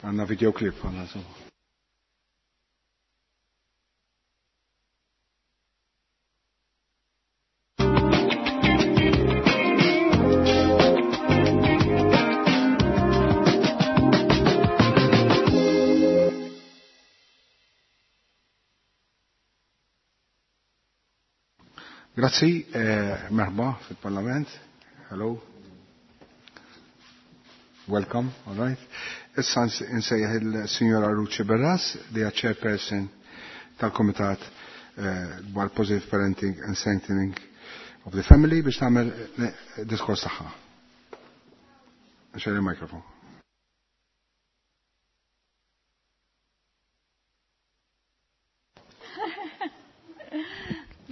Għandna videoclip għandna insomma. Grazzi, eh, merħba fil-Parlament. Hello. Welcome, all right. Issa nsejjaħ il-Sinjora Ruċi Berras, li hija chairperson tal-Komitat eh, dwar Positive Parenting and Strengthening of the Family biex tagħmel eh, diskors tagħha. Xejn il-mikrofon.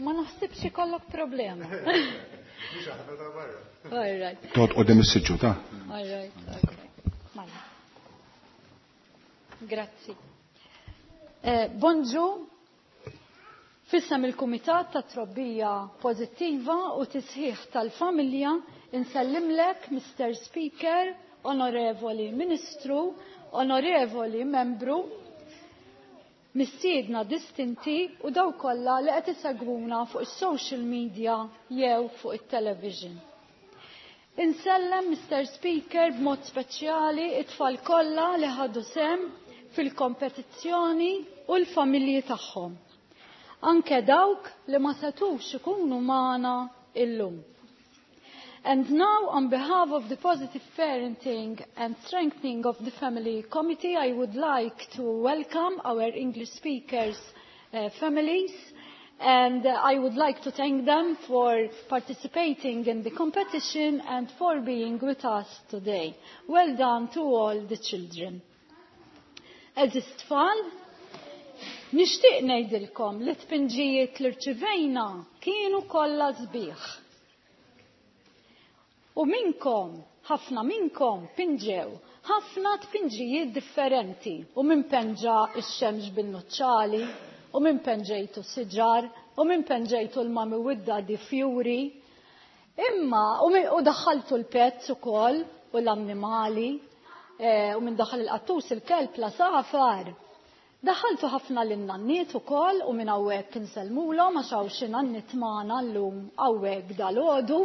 Ma naħsibx ikollok problema. All right. Toqgħod qudiem is-siġġu ta'. All right, okay. Mela. Grazzi. Eh, bonġu, fissam il-Kumitat ta' Trobbija Pozittiva u Tisħiħ tal-Familja insellimlek, Mr. Speaker, Onorevoli Ministru, Onorevoli Membru, mistiedna distinti u daw kollha li qed isegwuna fuq is-social media jew fuq it-television. Insellem Mr. Speaker b'mod speċjali it-tfal kollha li ħadu sem fil-kompetizzjoni u l-familji tagħhom. Anke dawk li ma setux ikunu magħna illum. And now, on behalf of the Positive Parenting and Strengthening of the Family Committee, I would like to welcome our English speakers' families, and I would like to thank them for participating in the competition and for being with us today. Well done to all the children. Eżis tfal, nixtieq ngħidilkom li tpinġijiet li rċivejna kienu kollha sbieħ. U minkom, ħafna minkom pinġew, ħafna tpinġijiet differenti. U min penġa x-xemx bin-nuċċali, u min penġejtu siġar, u min penġejtu l-mami u d-daddy fjuri. Imma, u daħħaltu l-pets ukoll, u l-annimali, u min daħal il-qattus, il-kelb, l-asafar. Daħħaltu ħafna lin-nanniet ukoll u minn hawnhekk insellmulhom għax hawn xi nanniet magħna llum hawnhekk dalgħodu.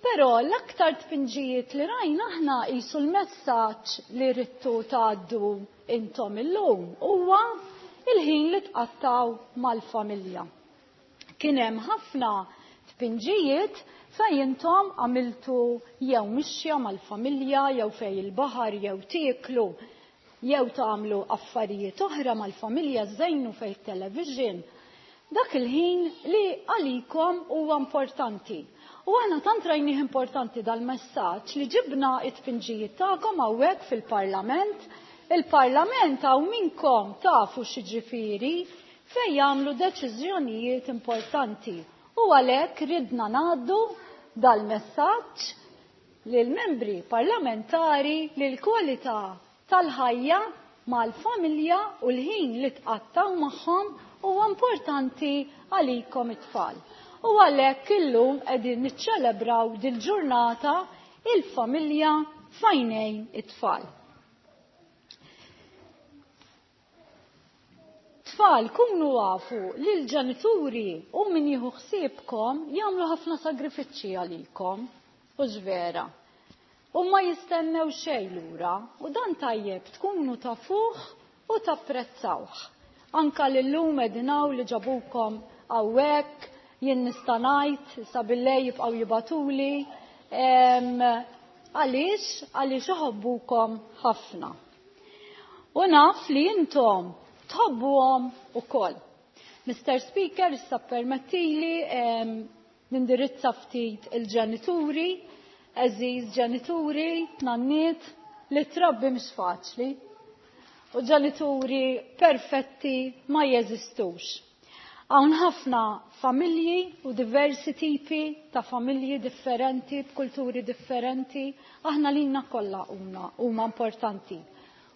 Però l-aktar tpinġijiet li rajna aħna qisu l-messaġġ li ridtu tgħaddu intom illum huwa il-ħin li tqattaw mal-familja. Kien hemm ħafna tpinġijiet fejn intom għamiltu jew mixja mal-familja, jew fejn il-baħar, jew tieklu, jew tagħmlu affarijiet oħra mal-familja, żejnu fejn television. Dak il-ħin li għalikom huwa importanti. U aħna tant rajnih importanti dal-messaġġ li ġibna it-tpinġijiet tagħkom hawnhekk fil-Parlament. Il-Parlament hawn minkom tafu x'jiġifieri fejn jagħmlu deċiżjonijiet importanti. U għalhekk ridna ngħaddu dal-messaġġ lill-membri parlamentari li l-kwalità tal-ħajja mal-familja u l-ħin li tqattaw magħhom huwa importanti għalikom it-tfal. U għalhekk illum qegħdin niċċelebraw dil-ġurnata il-familja f'għajnejn it-tfal. Tfal, kunu għafu li l-ġenituri u min jieħu ħsiebkom jagħmlu ħafna sagrifiċċji għalikom, u vera. U ma jistennew xejn lura, u dan tajjeb tkunu tafuh u tapprezzawh. Anka lillum qegħdin hawn li ġabukom hawnhekk, jien nista' ngħid sa billej jibqgħu jibatuli. Għaliex? Għaliex iħobbukom ħafna. U naf li intom tħobbuhom ukoll. Mr. Speaker, issa permettili nindirizza ftit il-ġenituri, għeżież ġenituri, nanniet, li trabbi mhux faċli. U ġenituri perfetti ma jeżistux. Hawn ħafna familji u diversi tipi ta' familji differenti, b'kulturi differenti, aħna lina kollha huma importanti.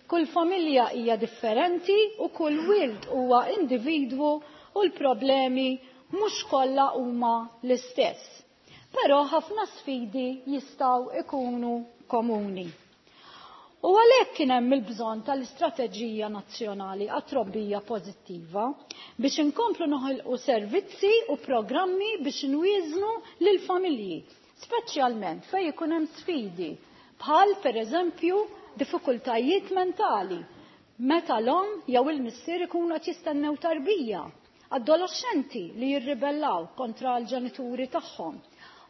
Kull familja hija differenti u kull wild huwa individwu u l-problemi mhux kollha huma l-istess. Però ħafna sfidi jistgħu ikunu komuni. U għalhekk kien hemm il-bżonn tal-Istrateġija Nazzjonali għat-Trobbija Pożittiva biex inkomplu noħolqu servizzi u programmi biex nwieżnu lill-familji, speċjalment fejn ikun hemm sfidi bħal pereżempju diffikultajiet mentali meta l-omm jew il-missier ikunu qed jistennew tarbija, adolexxenti li jirribellaw kontra l-ġenituri tagħhom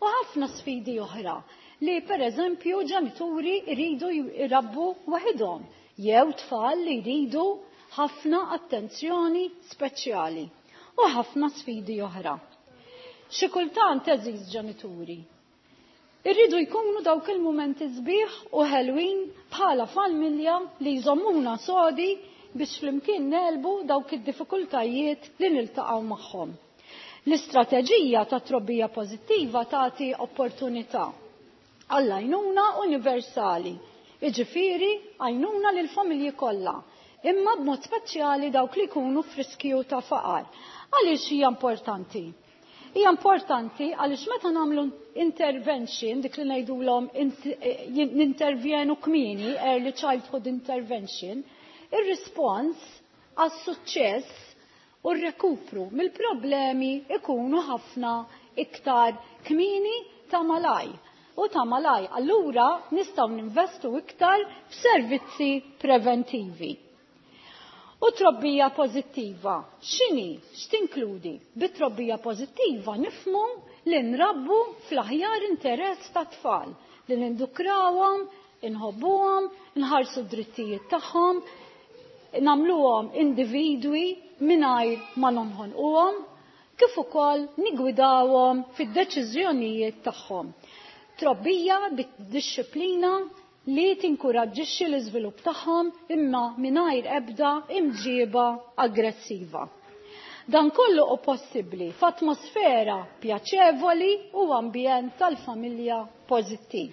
u ħafna sfidi oħra li pereżempju ġenituri jridu jrabbu waħidhom jew tfal li jridu ħafna attenzjoni speċjali u ħafna sfidi oħra. Xi kultant għeżież ġenituri, irridu jkunu dawk il-mumenti sbieħ u ħelwin bħala familja li jżommuna sodi biex flimkien negħlbu dawk id-diffikultajiet li niltaqgħu magħhom. L-istrateġija ta' trobbija pożittiva tagħti opportunità għall-għajnuna universali, jiġifieri għajnuna lill-familji kollha, imma b'mod speċjali dawk li jkunu f'riskju ta' faqar. Għaliex hija importanti? Hija importanti għaliex meta nagħmlu intervention, dik li ngħidulhom nintervjenu kmieni, early childhood intervention, ir-rispons għas-suċċess u r-rekupru mill-problemi ikunu ħafna iktar kmieni ta' malaj. U ta' malaj, allura nistgħu ninvestu iktar f'servizzi preventivi. U trobbija pożittiva, x'inhi? X'tinkludi? Bit-trobbija pożittiva nifhmu li nrabbu fl-aħjar interess tat-tfal, li nindukrawhom, inħobbuhom, nħarsu d-drittijiet tagħhom, nagħmluhom individwi mingħajr ma nonħonquhom, kif ukoll nigwidawhom fid-deċiżjonijiet tagħhom. Trobbija bid-dixxiplina li tinkuraġġixxi l-iżvilupp tagħhom imma mingħajr ebda imġiba aggressiva. Dan kollu hu possibbli f'atmosfera pjaċevoli u ambjent tal-familja pożittiv.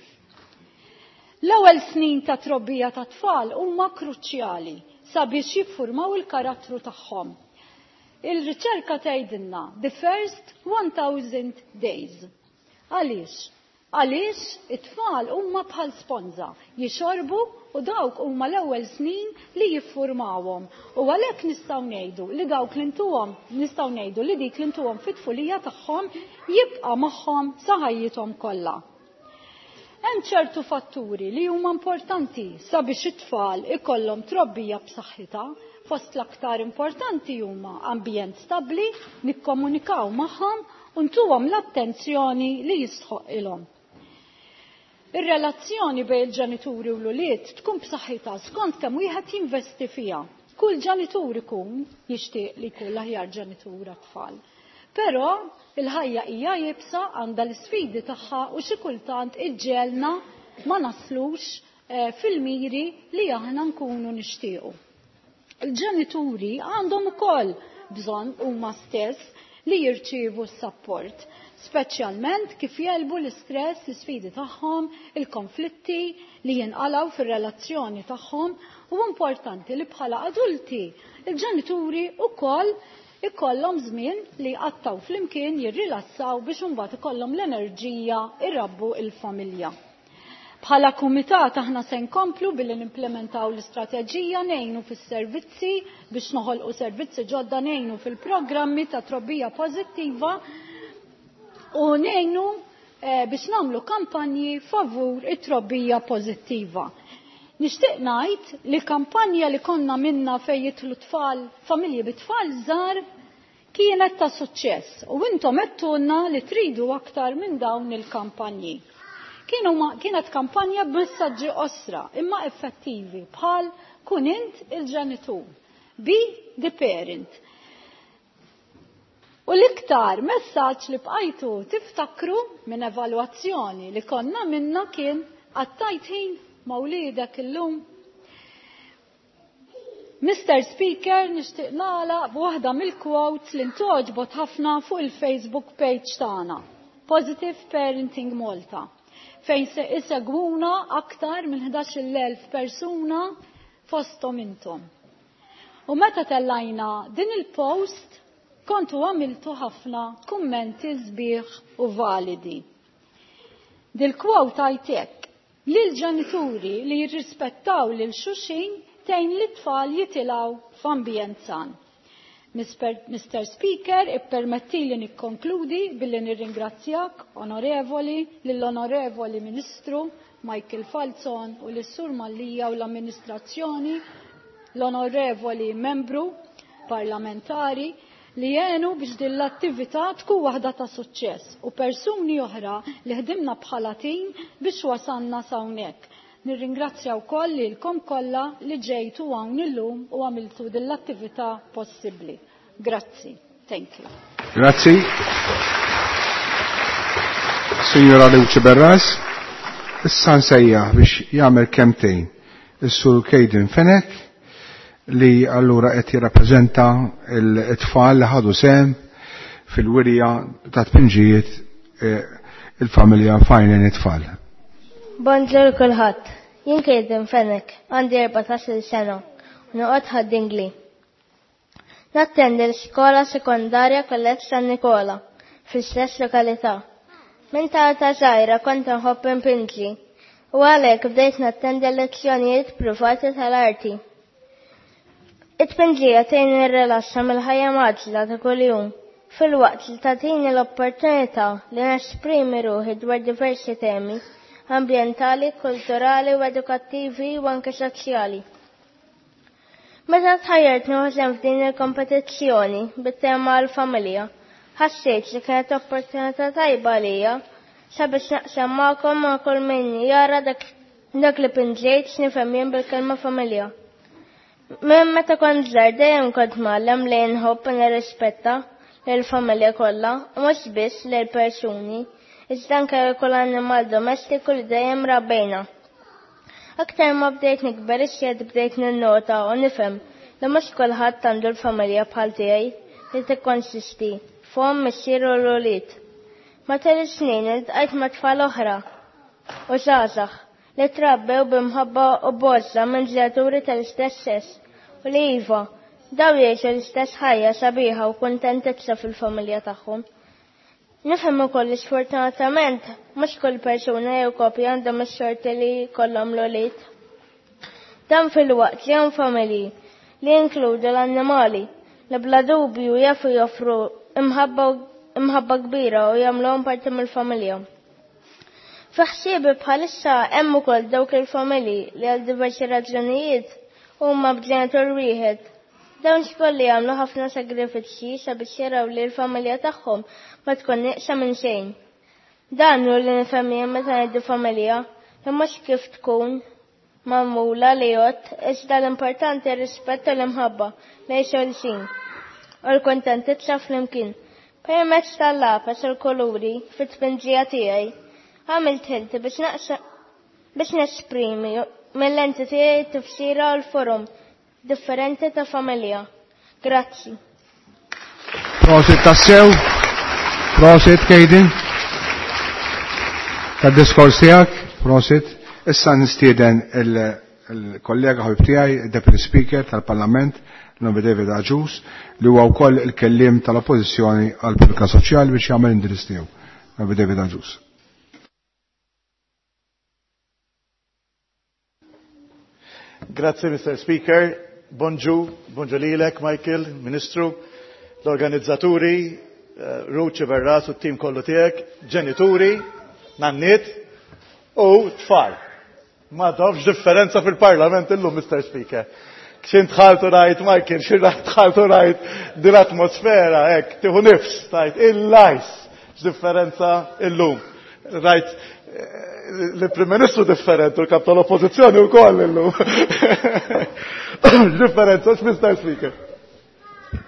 L-ewwel snin ta' trobbija ta' tfal huma kruċjali sabiex jiffurmaw il-karattru tagħhom. Il-riċerka tgħidilna the first 1000 days. Għaliex? Għaliex it-tfal huma bħal sponża, jixorbu u dawk huma l-ewwel snin li jiffurmawhom. U għalhekk nistgħu ngħidu li dawk li ntuhom, nistgħu ngħidu li dik li ntuhom fit-tfulija tagħhom jibqa' magħhom sa ħajjithom kollha. Hemm ċertu fatturi li huma importanti sabiex it-tfal ikollhom trobbija b'saħħitha. Fost l-aktar importanti huma ambjent stabbli, nikkomunikaw magħhom u ntuhom l-attenzjoni li jistħoq ilhom. Ir-relazzjoni bejn il-ġenituri u l-ulied tkun b'saħħitha skont kemm wieħed jinvesti fiha. Kull ġenitur ikun jixtieq li jkun l-aħjar ġenitur għat-tfal. Però il-ħajja hija iebsa, għandha l-isfidi tagħha u xi kultant iġġelna ma naslux fil-miri li aħna nkunu nixtiequ. Il-ġenituri għandhom ukoll bżonn huma stess li jirċievu s-sapport, speċjalment kif jelbu l-istress, l-isfidi tagħhom, il-konflitti li jinqalgħu fir-relazzjoni tagħhom, u importanti li bħala adulti il-ġenituri wkoll ikollhom żmien li jqattaw flimkien jirrilassaw biex imbagħad ikollhom l-enerġija irabbu il-familja. Bħala kumitat aħna se nkomplu billi nimplementaw l-istrateġija, ngħinu fis-servizzi biex noħolqu servizzi ġodda, ngħinu fil-programmi ta' trobbija pożittiva u ngħinu biex nagħmlu kampanji favur it-trobbija pożittiva. Nixtieq ngħid li kampanja li konna minna fejn jidħlu tfal, familji bi tfal żgħar, kienet ta' suċċess u intom għedtulna li tridu aktar minn dawn il-kampanji. Kienet kampanja b'messaġġi qosra imma effettivi bħal kun int il-ġenitur, be the parent. U l-iktar messaġġ li bqajtu tiftakru minn evalwazzjoni li konna minna kien għattajt ħin ma' wliedek illum. Mr. Speaker, nixtieq nagħlaq b'waħda mill-quotes li ntgħoġbot ħafna fuq il-Facebook page tagħna, Positive Parenting Malta, fejn se isegwuna aktar minn 11,000 persuna fosthom intom. U meta tellajna din il-post, kontu għamiltu ħafna kummenti sbieħ u validi. Dil-quote għajtek, Lil ġenituri li jirrispettaw lil xulxin tgħin lit-tfal jitilgħu f'ambjent san. Mr. Speaker, ippermetti li nikkonkludi billi nirringrazzjak, onorevoli, lill-onorevoli Ministru Michael Falzon u lis-Sur Mallia u l-amministrazzjoni, l-onorevoli membru parlamentari li jenu biex din l-attività tkun waħda ta' suċċess u persuni oħra li ħdimna bħala tim biex wasanna s'hawnhekk. Nirringrazzja wkoll lilkom kollha li ġejtu hawn illum u għamiltu din l-attività possibbli. Grazzi. Thank you. Grazzi. Signora Luce Berras, issa nsejjaħ biex jagħmel kemtejn is-Sur Kejden Fenech li allura qed jirrappreżenta l-tfal li ħadu sehem fil-wirja ta' tpinġijiet il-familja Fajnen it-tfal. Bonġur kulħadd. Jien Kejden Fenech, għandi 14-il sena u noqgħod Ħad-Dingli. Nattendi l-iskola sekondarja Kolleġġ San Nikola fl-istess lokalità. Minn ta' età żgħira kont nħobb inpinġi u għalhekk bdejt nattendi lezzjonijiet privati tal-arti. It-tpinġija tgħinni nirrilassa mill-ħajja mgħaġġla ta' kuljum filwaqt li tagħtini l-opportunità li nesprimi ruħi dwar diversi temi ambjentali, kulturali u edukattivi u anke soċjali. Meta tħajjart nieħu sehem f'din il-kompetizzjoni bit-tema għall-familja, ħassejt li kienet opportunità tajba għalija sabiex naqsam magħkom ma' kull min jara dak, dak li pinġejt x'nifhem jien bil-kelma familja. Minn meta kont żgħar dejjem kont mgħallem li nħobb u nirrispetta lill-familja kollha u mhux biss lill-persuni, iżda anke kull annimal domestiku li dejjem rabbejna. Aktar ma bdejt nikber iżjed bdejt ninnota u nifhem li mhux kulħadd għandu l-familja bħal tiegħi li tikkonsisti f'omm, missier u l-ulied. Matul is-snin iltqajt ma' tfal oħra u żgħażagħ li trabbew b'imħabba u b'għożża minn ġenituri tal-istess sess u li iva, daw jgħixu l-istess ħajja sabiħa u kuntentizza fil-familja tagħhom. Nifhem ukoll li sfortunatament mhux kull persuna jew koppja għandhom is-xorti li jkollhom l-ulied. Dan filwaqt li hemm familji li jinkludu l-annimali li bla dubju jafu joffru imħabba kbira u jagħmluhom parti mill-familja. Fi ħsiebi bħalissa hemm ukoll dawk il-familji li għal diversi raġunijiet huma b'ġenitur wieħed. Dawn xkolli jagħmlu ħafna sagrifiċċji sabiex jaraw li l-familja tagħhom ma tkun nieqsa minn xejn. Dan hu li nifhem jien meta ngħidu familja, li mhux kif tkun magħmula li jgħodd, iżda l-importanti r-rispett u l-imħabba lejn xulxin u l-kuntentizza flimkien. Permezz tal-lapes u l-kuluri fit-tpinġija tiegħi, għamilt ħilti biex naqsa biex nesprimi mill-lenti tiegħi tifsira u l-forum differenti ta' familja. Grazzi. Prosit tassew. Prosit, Kejdin. Tad-diskors tiegħek, prosit. Issa nistieden il-kollega ħabib tiegħi, il-Deputy Speaker tal-Parlament, l-Onorevoli David Agius, li huwa wkoll il-kelliem tal-Oppożizzjoni għall-Politika Soċjali biex jagħmel indirizz tiegħu. Onorevoli David Agius. Grazie, Mr. Speaker. Bonġu, bonġu lilek, Michael, Ministru, l-organizzaturi, Ruth Sciberras u t-tim kollu tiegħek, ġenituri, nanniet u tfal. Ma tafx differenza fil-parlament illum, Mr. Speaker. Xin dħaltu rajt, Michael, xin dħaltu rajt din l-atmosfera, hekk, tieħu nifs, tajt, il-lajs, x'differenza illum. Rajt, l-Prim Ministru differenti, u l-Kap tal-Oppożizzjoni wkoll illum. Differenza, x'Mr. Speaker.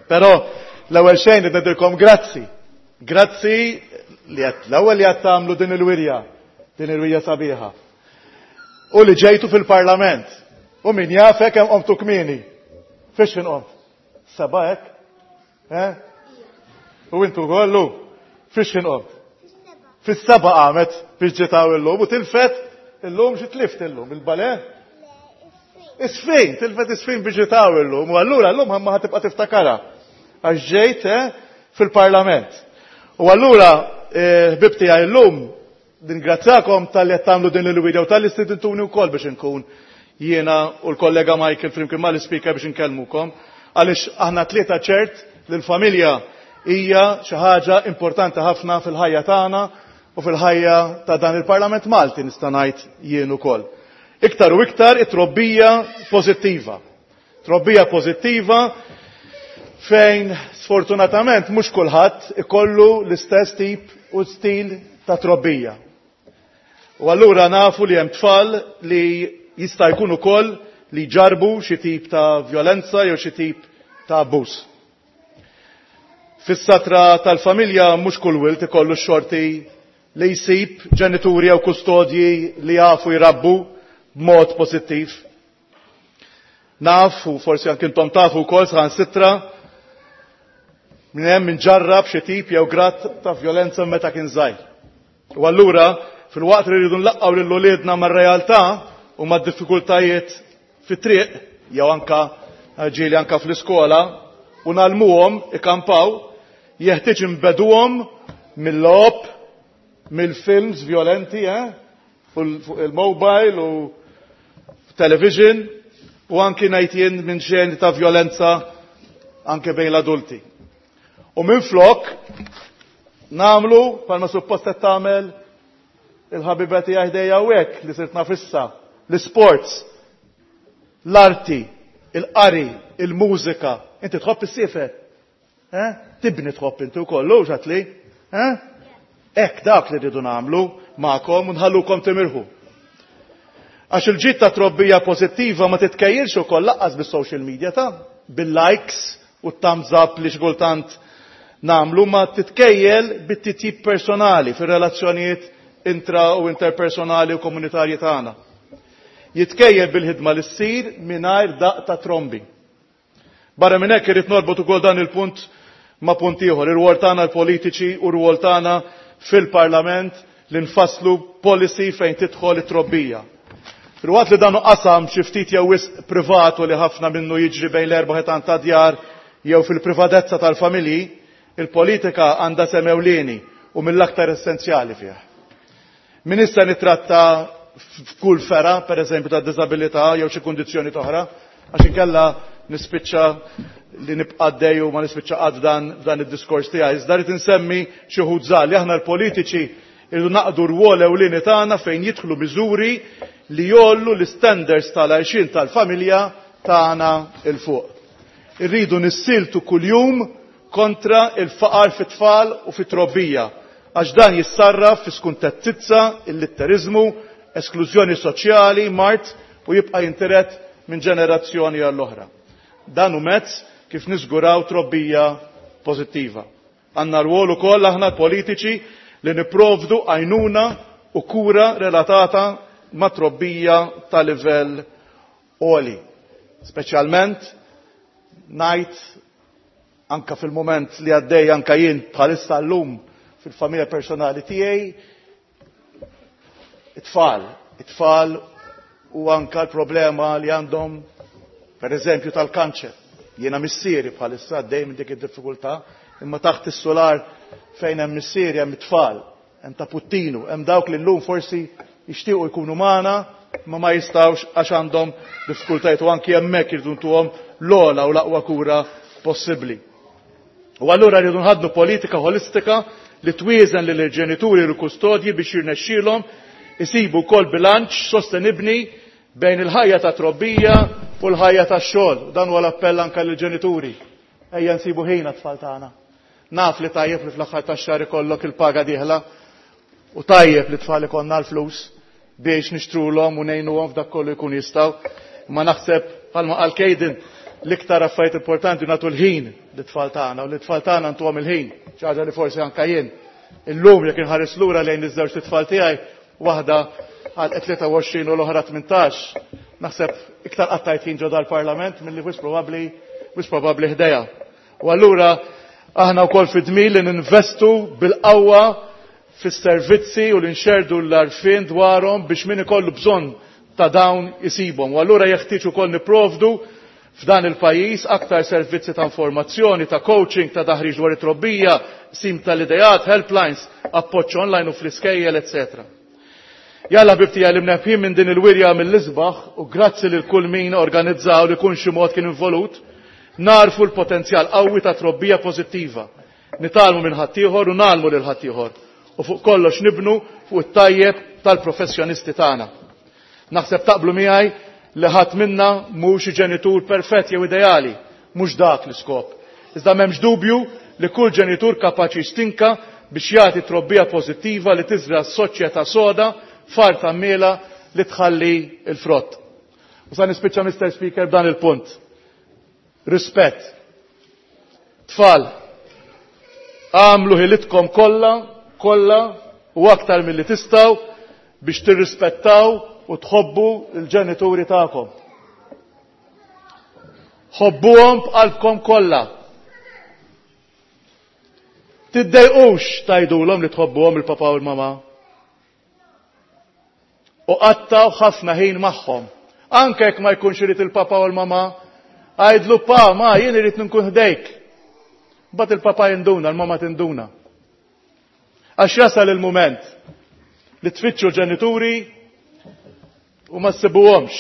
Però l-ewwel xejn ngħidilkom grazzi. Grazzi li qed l-ewwel li qed tagħmlu din il-wirja, din il-wirja sabiħa. U li ġejtu fil-Parlament. U min jafek hemm qomtu kmieni. Fiex inqomt? Seba' hekk? Eh? U intu kollu? Fiex inqomt? Fis-seba' qamet biex ġiet hawn illum u tilfet illum xi tlift illum il-bale? Isfin, tilfet isfin biex ġiet hawn illum u allura llum ħamma ħa tibqa' tiftakarha għax ġejt fil-Parlament. U allura ħbib tiegħi llum Ningrazzjakom talli qed tagħmlu din il-widja u talli istidintuni wkoll biex inkun jiena u l-kollega Michael flimkien mal-ispeaker biex inkellmukom għaliex aħna tlieta ċert li l-familja hija xi ħaġa importanti ħafna fil-ħajja tagħna u fil-ħajja ta' dan il-Parlament Malti nista' ngħid jien ukoll. Iktar u iktar it-trobbija pożittiva. Trobbija pożittiva fejn sfortunatament mhux kulħadd ikollu l-istess tip u stil ta' trobbija. U allura nafu li hemm tfal li jista' jkun ukoll li ġarbu xi tip ta' vjolenza jew xi tip ta' abbuż. Fis-satra tal-familja mhux kull wild ikollu x-xorti li jsib ġenituri jew kustodji li jafu jrabbu b'mod pożittiv. Naf, u forsi anke intom tafu wkoll saħansitra, minn hemm min ġarrab xi tip jew grad ta' vjolenza meta kien żgħir. U allura, filwaqt li rridu nlaqqgħu lil uliedna mar-realtà u mad-diffikultajiet fit-triq jew anka ġieli anka fl-iskola u ngħallmuhom ikampaw, jeħtieġ inbeduhom mill-logħob, mill-films vjolenti, fuq il-mobile u television u anki ngħid jien minn xeni ta' vjolenza anke bejn l-adulti. U minflok nagħmlu bħalma suppost qed tagħmel il-ħabiba tiegħi ħdejja hawnhekk li sirt naf issa, l-isports, l-arti, il-qari, il-mużika. Inti tħobb issiefer? Eh? Tibni tħobb inti wkoll, hux għatli? Eh? Hekk dak li rridu nagħmlu magħkom u nħallukom timirħu. Għax il-ġid ta' trobbija pożittiva ma titkejjilx ukoll laqqas bis-social media ta' bil-likes u t-thumbs up li xi kultant nagħmlu, ma titkejjel bit-titjib personali fir-relazzjonijiet intra u interpersonali u komunitarji tagħna. Jitkejjel bil-ħidma li ssir mingħajr daqq ta' trombi. Barra minn hekk irrid norbot ukoll dan il-punt ma' punt ieħor, ir-rwol tagħna l-politiċi u r-rwol tagħna fil-Parlament li nfasslu policy fejn tidħol it-trobbija. Filwaqt li dan hu qasam xi ftit jew wisq privat u li ħafna minnu jiġri bejn l-erba' ħitan ta' djar jew fil-privatezza tal-familji, il-politika għandha sehem ewlieni u mill-aktar essenzjali fih. Min issa nittratta f'kull fergħa, per eżempju ta' diżabilità jew xi kundizzjoni oħra, għax inkella nispiċċa li nibqa' għaddej u ma nispiċċa qatt dan f'dan id-diskors tiegħi. Iżda rrid insemmi xi wħud żgħar li aħna l-politiċi irridu naqdu rwol ewlieni tagħna fejn jidħlu miżuri li jgħollu l-istandards tal-għajxien tal-familja tagħna 'l fuq. Irridu nissieltu kuljum kontra l-faqar fit-tfal u fit-trobbija, għax dan jissarraf fi skuntettizza, illitteriżmu, esklużjoni soċjali, mard u jibqa' jintiret minn ġenerazzjoni għall-oħra. Dan hu mezz kif niżguraw trobbija pożittiva. Għandna rwol ukoll aħna l-politiċi li nipprovdu għajnuna u kura relatata ma' trobbija ta' livell għoli. Speċjalment ngħid anka fil-mument li għaddej anka jien bħalissa llum fil-familja personali tiegħi, it-tfal, it-tfal u anka l-problema li għandhom per eżempju tal-kanċer. Jiena missieri bħalissa għaddej minn dik id-diffikultà, imma taħt is-solar fejn hemm missieri hemm it-tfal, hemm ta' Puttinu, hemm dawk li llum forsi jixtiequ jkunu magħna imma ma jistgħux għax għandhom diffikultajiet u anki hemmhekk irridu ntuhom l-ogħla u l-aqwa kura possibbli. U allura rridu nħaddnu politika ħolistika li twieżen lil ġenituri u l-kustodji biex jirnexxielhom isibu wkoll bilanċ sostenibbli bejn il-ħajja ta' trobbija u l-ħajja tax-xogħol. Dan huwa l-appell anke lill-ġenituri. Ejja nsibu ħin għat-tfal tagħna. Naf li tajjeb li fl-aħħar tax-xahar ikollok il-paga dieħla u tajjeb li tfal ikollna l-flus biex nixtrulhom u ngħinuhom f'dak kollu jkun jistgħu. Imma naħseb bħalma qal Kejden l-iktar affarijiet importanti nagħtu l-ħin lit-tfal tagħna u lit-tfal tagħna ntuhom il-ħin, xi ħaġa li forsi anke jien illum jekk inħares lura lejn iż-żewġ tfal tiegħi, waħda għal 23 u l-oħra 18, naħseb iktar qattajt ħin ġo dal-Parlament milli wis probabbli wis probabbli ħdejha. U allura aħna wkoll fi dmir li ninvestu bil-qawwa fis-servizzi u li nxerrdu l-għarfien dwarhom biex min ikollu bżonn ta' dawn isibhom. U allura jeħtieġ ukoll nipprovdu f'dan il-pajjiż aktar servizzi ta' informazzjoni, ta' coaching, ta' taħriġ dwar it-trobbija, qsim tal-ideat, helplines, appoġġ online u fl-iskejjel, eċċetera. Jalla ħbib tiegħi li mnebħin minn din il-wirja mill-isbaħ u grazzi lil kull min organizza u li kun xi mod kien involut, narfu l-potenzjal qawwi ta' trobbija pożittiva. Nitgħallmu minn ħaddieħor u ngħallmu lil ħaddieħor. U fuq kollox nibnu fuq it-tajjeb tal-professjonisti tagħna. Naħseb taqblu miegħi li ħadd minna mhux xi ġenitur perfett jew ideali, mhux dak l-iskop. Iżda m'hemmx dubju li kull ġenitur kapaċi jistinka biex jagħti trobbija pożittiva li tiżra' soċjetà soda f'art għammiela li tħalli l-frott. U sa nispiċċa Mr. Speaker b'dan il-punt. Rispett. Tfal, għamlu ħilitkom kollha, kollha u aktar milli tistgħu biex tirrispettaw u tħobbu l-ġenituri tagħkom. Ħobbuhom b'qalbkom kollha. Tiddejqux tgħidulhom li tħobbuhom il-papa u l-mama. U qattaw ħafna ħin magħhom. Anke jekk ma jkunx irid il-papa u l-mama, għidlu pa, ma jien irid nkun ħdejk. Mbagħad il-papa jinduna, l-mama tinduna. Għax jasal il-mument li tfittxu ġenituri u ma ssibuhomx.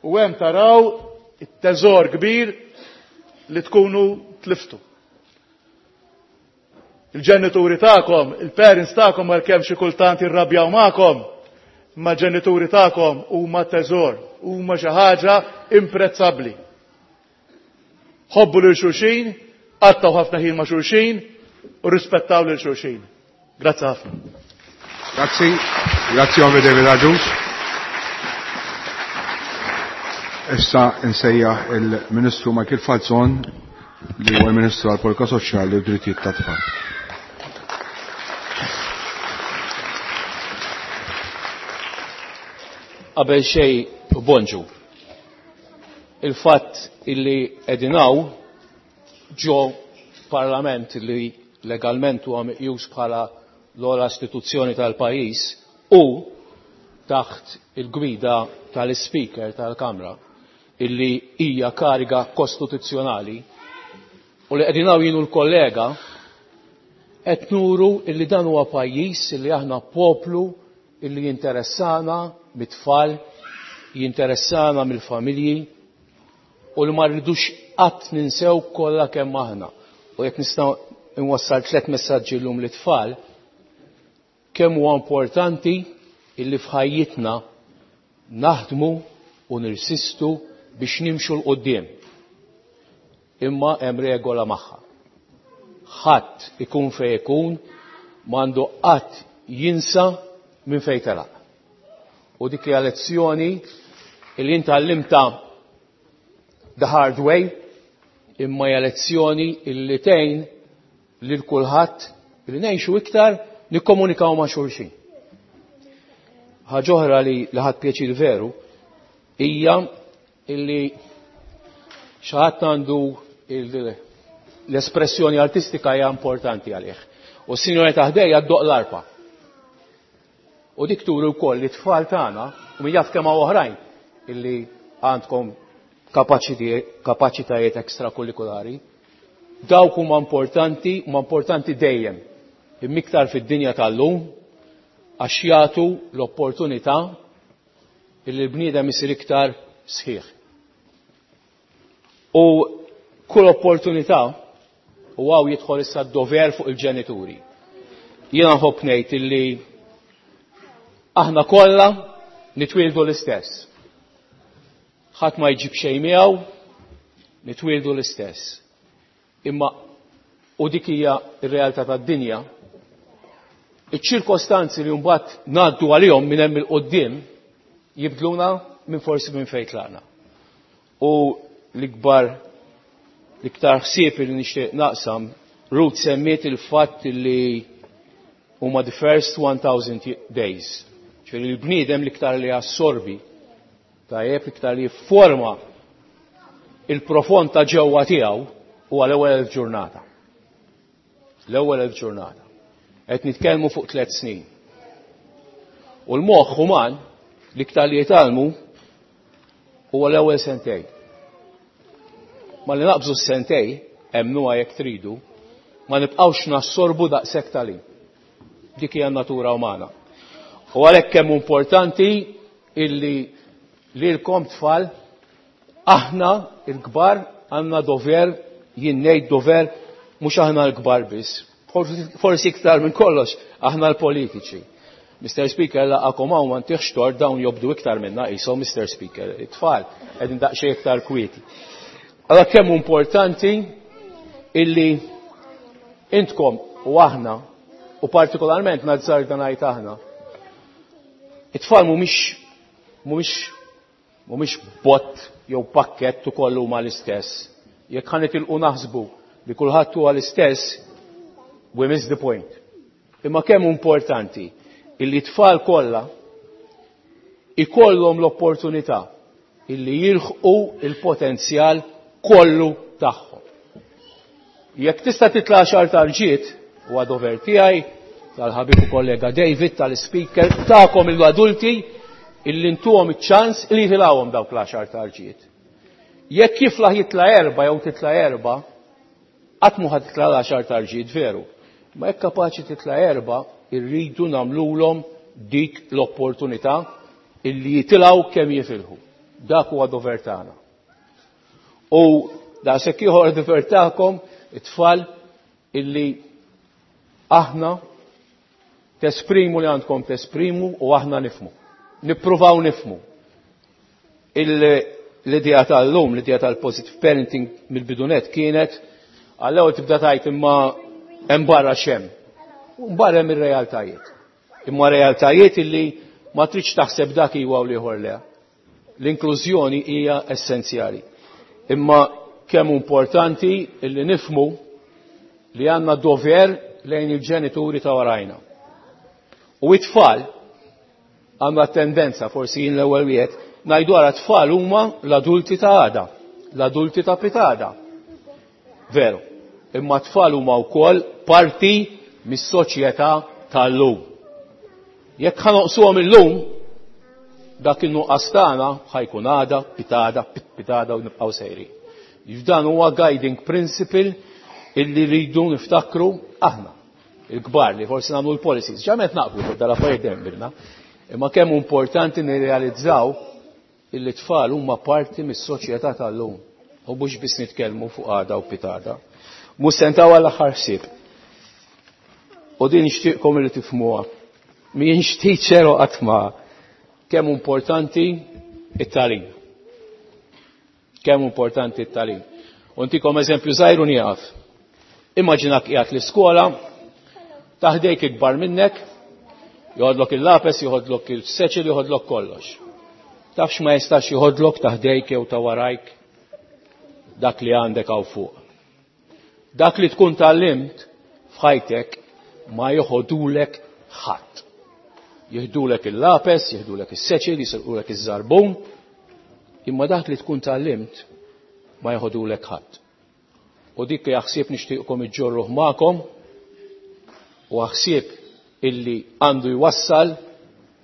U hemm taraw it-teżor kbir li tkunu tliftu. Il-ġenituri tagħkom, il-parents tagħkom għalkemm xi kultant jirrabjaw magħkom, imma l-ġenituri tagħkom huma teżor, huma xi ħaġa imprezzabbli. Ħobbu lil xulxin, qattgħu ħafna ħin ma' xulxin u rispettaw lil xulxin. Grazzi ħafna. Grazzi, grazzi Onorevoli David Agius. Issa nsejjaħ il-Ministru Michael Falzon li huwa l-Ministru għall-Politika Soċjali u Drittijiet tat-Tfal. Qabel xejn bonġu. Il-fatt illi qegħdin hawn ġo parlament li legalment huwa meqjus bħala l-ogħla istituzzjoni tal-pajjiż u taħt il-gwida tal-Ispeaker tal-Kamra illi hija kariga kostituzzjonali u li qegħdin hawn jien u l-kollega qed nuru illi dan huwa pajjiż illi aħna poplu illi jinteressana mit-tfal, jinteressana mill-familji u li ma rridux qatt ninsew kollha kemm aħna. U jekk nista' nwassal tliet messaġġi llum lit-tfal, kemm huwa importanti illi f'ħajjitna naħdmu u nirsistu biex nimxu 'l quddiem. Imma hemm regola magħha. Ħadd ikun fejn ikun m'għandu qatt jinsa minn fejn telaq. U dik hija lezzjoni li jien tgħallimtha the hard way, imma hija lezzjoni illi tgħin lil kulħadd li ngħixu iktar nikkomunikaw ma' xulxin. Ħaġa oħra li ħadt pjaċir veru hija illi xi ħadd għandu l-espressjoni artistika hija importanti għalih. U s-sinjora ta' ħdejja ddoq l-arpa. U dik turi wkoll li t-tfal tagħna u min jaf kemm hawn oħrajn illi għandkom kapaċitajiet ekstrakurrikulari, dawk huma importanti, huma importanti dejjem. Imma iktar fid-dinja tal-lum għax jagħtu l-opportunità illi l-bniedem isir iktar sħiħ. U kull opportunità, u hawn jidħol issa d-dover fuq il-ġenituri. Jiena nħobb ngħid illi aħna kollha nitwieldu l-istess. Ħadd ma jġib xejn miegħu, nitwieldu l-istess. Imma u dik hija r-realtà tad-dinja, iċ-ċirkostanzi li mbagħad ngħaddu għalihom minn hemm il-quddiem jibdluna minn forsi minn fejn tlaqna. U l-ikbar l-iktar ħsieb li nixtieq naqsam, Ruth semmiet il-fatt li huma the first 1000 days. Ġifieri l-bniedem l-iktar li jassorbi, tajjeb l-iktar li jifforma il-profond ta' ġewwa tiegħu huwa l-ewwel 1000 ġurnata. L-ewwel 1000 ġurnata. Qed nitkellmu fuq 3 snin. U l-moħħ uman l-iktar li jitgħallmu huwa l-ewwel sentej. Ma li naqbżu s-sentej, emmnuha jekk tridu, ma nibqgħux nassorbu daqshekk tagħlim. Dik hija n-natura umana. U għalhekk kemm importanti illi lilkom tfal aħna il-kbar għandna dover, jien ngħid dover mhux aħna l-kbar biss. Forsi iktar minn kollox aħna l-politiċi. Mr. Speaker, laqakom hawn ma ntihx tort dawn jobdu iktar minna qishom Mr. Speaker, it-tfal qegħdin daqsxejn iktar kwieti. Allora kemm importanti illi intkom u aħna u partikolarment nazzarda ngħid aħna. It-tfal mhumiex mhumiex mhumiex bott jew pakkett ukoll huma l-istess. Jekk ħa nitilqu naħsbu li kulħadd huwa l-istess, we miss the point. Imma kemm importanti illi tfal kollha ikollhom l-opportunità illi jilħqu il-potenzjal kollu tagħhom. Jekk tista' titla' għaxar tarġiet, huwa dover tiegħi, tal-ħabib u kollega David, tal-speaker, tagħkom l-adulti illi ntuhom iċ-ċans li jitilgħuhom dawk l-għaxar tarġiet. Jekk jiflaħ jitla' erba' jew titla' erba', qatt mhu ħa titla' l-għaxar tarġiet veru. Ma jekk kapaċi titla' erba', irridu nagħmlulhom dik l-opportunità illi jitilgħu kemm jifilħu. Dak huwa dover tagħna. U daqshekk ieħor dover tagħkom it-tfal illi aħna tesprimu li għandkom tesprimu u aħna nifmu. Nippruvaw nifmu. L-idea tal-lum, l-idea tal-positive parenting mill-bidunet kienet għall-ewwel tibda tajt imma hemm barra xem. U barra hemm ir-realtajiet. Imma realtajiet illi ma tridx taħseb dak iwa u l-ieħor le. L-inklużjoni hija essenzjali. Imma kemm importanti illi nifmu li għandna dover lejn il-ġenituri ta' warajna. U it-tfal għandna tendenza, forsi jien l-ewwel wieħed, ngħidu għara tfal huma l-adulti ta' għada, l-adulti ta' pitada. Veru, imma tfal huma wkoll parti mis-soċjetà tal-lum. Jekk ħa noqsuhom illum, dak in-nuqqas tagħna ħajkun għada, pitada, pitada u nibqgħu sejrin. F'dan huwa guiding principle illi rridu niftakru aħna, il-kbar li forsi nagħmlu l-policies. Ġamet naqblu fuq dal-affarijiet dejjem bilna. Imma kemm importanti nirrealizzaw illi tfal huma parti mis-soċjetà tal-lum. U mhux biss nitkellmu fuq għada u pitada. Mhux sentaw għall-aħħar ħsieb. U din nixtieqkom li tifhmuha. M'ienx teacher u qatt ma kemm importanti it-tagħlim. Kemm importanti t-tagħlim. U ntikom eżempju żgħir u nieqaf. Immaġinak qiegħed l-iskola, taħdejk ikbar minnek, joħodlok il-lapes, joħodlok il-seċil, joħodlok kollox. Tafx ma jistax joħodlok taħdejk jew ta' warajk dak li għandek hawn fuq. Dak li tkun tgħallimt f'ħajtek ma joħodulek ħadd. Jiħdulek il-lapes, jiħdulek is-seċil, jisirqulek iż-żarbun, imma dak li tkun tgħallimt ma joħodulek ħadd. U dik li ħsieb nixtieqkom iġġorruh magħkom u ħsieb illi għandu jwassal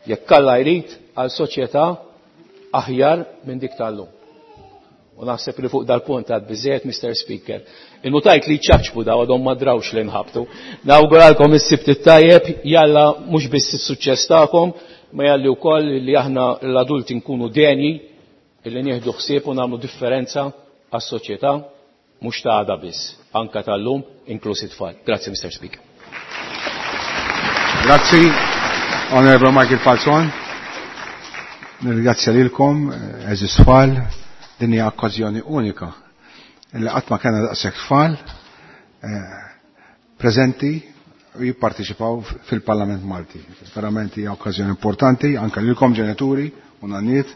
jekk Alla jrid għal soċjetà aħjar minn dik tal-lum. U naħseb li fuq dal-punt għad biżejjed, Mr. Speaker. Innutajt li ċaċbu daw għadhom ma drawx li nħabtu. Nawguralkom is-sibt it-tajjeb, jalla mhux biss is-suċċess tagħkom, ma jalli wkoll li aħna l-adulti nkunu denji illi nieħdu ħsieb u nagħmlu differenza għas-soċjetà mhux ta' għada biss, anka tal-lum, inkluż it-tfal. Grazzi, Mr. Speaker. Grazzi, Honorable Michael Falzon. Nirringrazzja lilkom, għeżież tfal, din hija okkażjoni unika illi qatt ma kellna daqshekk tfal preżenti u jipparteċipaw fil-Parlament Malti. Verament hija okkażjoni importanti anke lilkom ġenituri u nanniet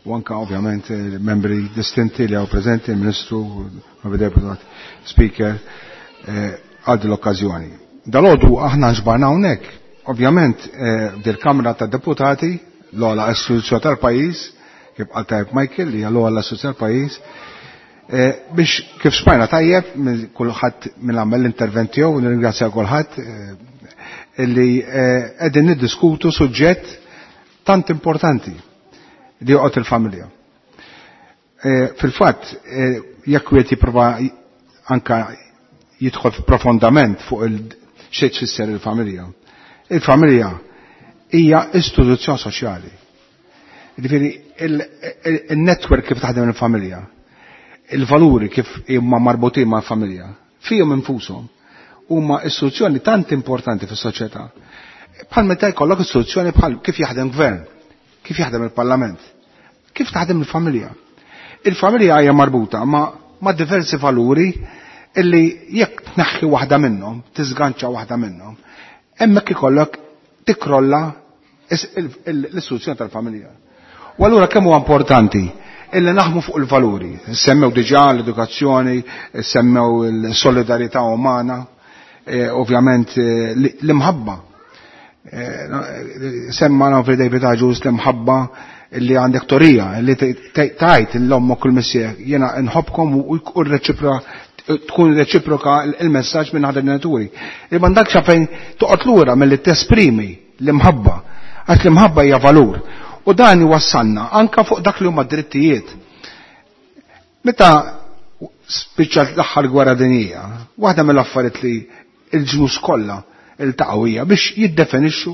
u anke ovvjament membri distinti li hawn preżenti, il-Ministru, il Deputat Speaker, għal din l-okkażjoni. Dalgħodu aħna nġbarna hawnhekk, ovvjament dil-Kamra tad-Deputati, l-ogħla istituzzjoni tal-pajjiż, kif qal tajjeb Michael, li hija l-ogħla istituzzjoni tal-pajjiż, biex kif smajna tajjeb minn kulħadd minn għamel l-intervent tiegħu, u nirringrazzja kulħadd illi qegħdin niddiskutu suġġett tant importanti li joqgħod il-familja. Fil-fatt, jekk wieħed jipprova anka jidħol profondament fuq il xejn tfisser il-familja. Il-familja hija istituzzjoni soċjali. Jiġifieri il-network kif taħdem il-familja, il-valuri kif huma marbutin mal-familja, fihom infushom huma istituzzjoni tant importanti fis-soċjetà. Bħal meta jkollok istituzzjoni bħal kif jaħdem gvern, kif jaħdem il-parlament, kif taħdem il-familja. Il-familja hija marbuta ma' diversi valuri illi jekk tneħħi waħda minnhom, tiżganċa waħda minnhom, hemmhekk ikollok tikrolla l-istituzzjoni tal-familja. U allura kemm huwa importanti illi naħmu fuq il-valuri. Semmew diġà l-edukazzjoni, semmew il-solidarità umana, ovvjament l-imħabba. Semma nafri David Agius l-imħabba li għandek torija, li tajt l-ommok u l-missier, jena nħobkom u tkun reċiproka il-messaġġ minn ħadd il-ġenituri. Il m'għandekx fejn toqgħod lura milli tesprimi l-imħabba, għax l-imħabba hija valur. U dan iwassalna anka fuq dak li huma drittijiet. Meta spiċċat l-aħħar gwerra dinjija, waħda mill-affarijiet li l-ġnus kollha iltaqgħu hija biex jiddefinixxu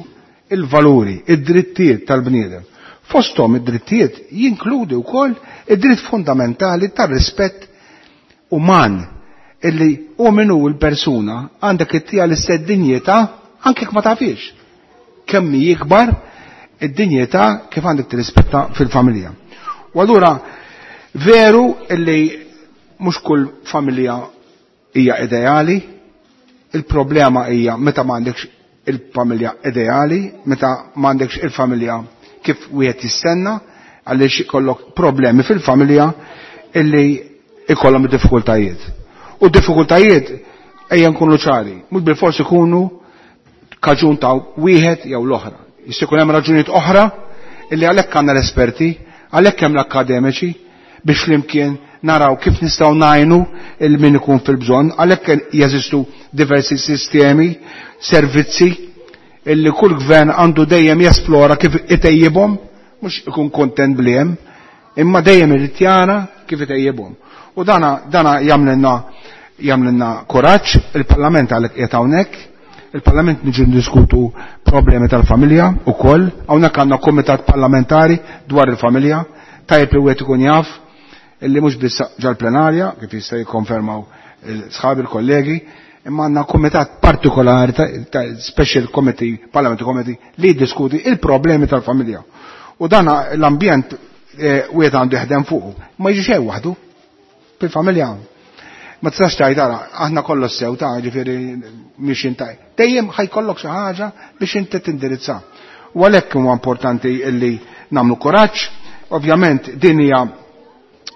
il-valuri, id-drittijiet tal-bniedem. Fosthom id-drittijiet jinkludi wkoll id-dritt fundamentali tar-rispett uman illi u minnu l-persuna għandek ittija l-istess dinjità anke jekk ma tafix. Kemm jikbar id-dinjità kif għandek tirrispetta fil-familja. U allura veru illi mhux kull familja hija ideali, il-problema hija meta m'għandekx il-familja ideali, meta m'għandekx il-familja kif wieħed jistenna, għaliex ikollok problemi fil-familja illi ikollhom diffikultajiet. U diffikultajiet ejja nkunu ċari, mhux bilfors ikunu kaġun ta' wieħed jew l-oħra. Jista' jkun hemm raġunijiet oħra illi għalhekk għandna l-esperti, għalhekk hemm l-akkademiċi biex flimkien naraw kif nistgħu ngħinu il min ikun fil-bżonn, għalhekk jeżistu diversi sistemi, servizzi illi kull gvern għandu dejjem jesplora kif itejjibhom, mhux ikun kontent bli hemm, imma dejjem irid jara kif itejjibhom. U dana jagħmlilna kuraġġ, il-Parlament għalhekk qiegħed hawnhekk, il-Parlament niġu ndiskutu problemi tal-familja wkoll, hawnhekk għandna kumitat parlamentari dwar il-familja, tajjeb li wieħed ikun jaf illi mhux biss ġal-plenarja, kif jista' jikkonfermaw sħabi l-kollegi, imma għandna kumitat partikolari ta' special committee, parliamentary committee, li jiddiskuti il-problemi tal-familja. U dana l-ambjent wieħed għandu jaħdem fuqu. Ma jiġi xejn waħdu fil-familja. Ma tistax tgħid ara, aħna kollox sew ta' ġifieri mhix intaj. Dejjem ħajkollok xi ħaġa biex inti tindirizza. U għalhekk huwa importanti illi nagħmlu kuraġġ. Ovvjament din hija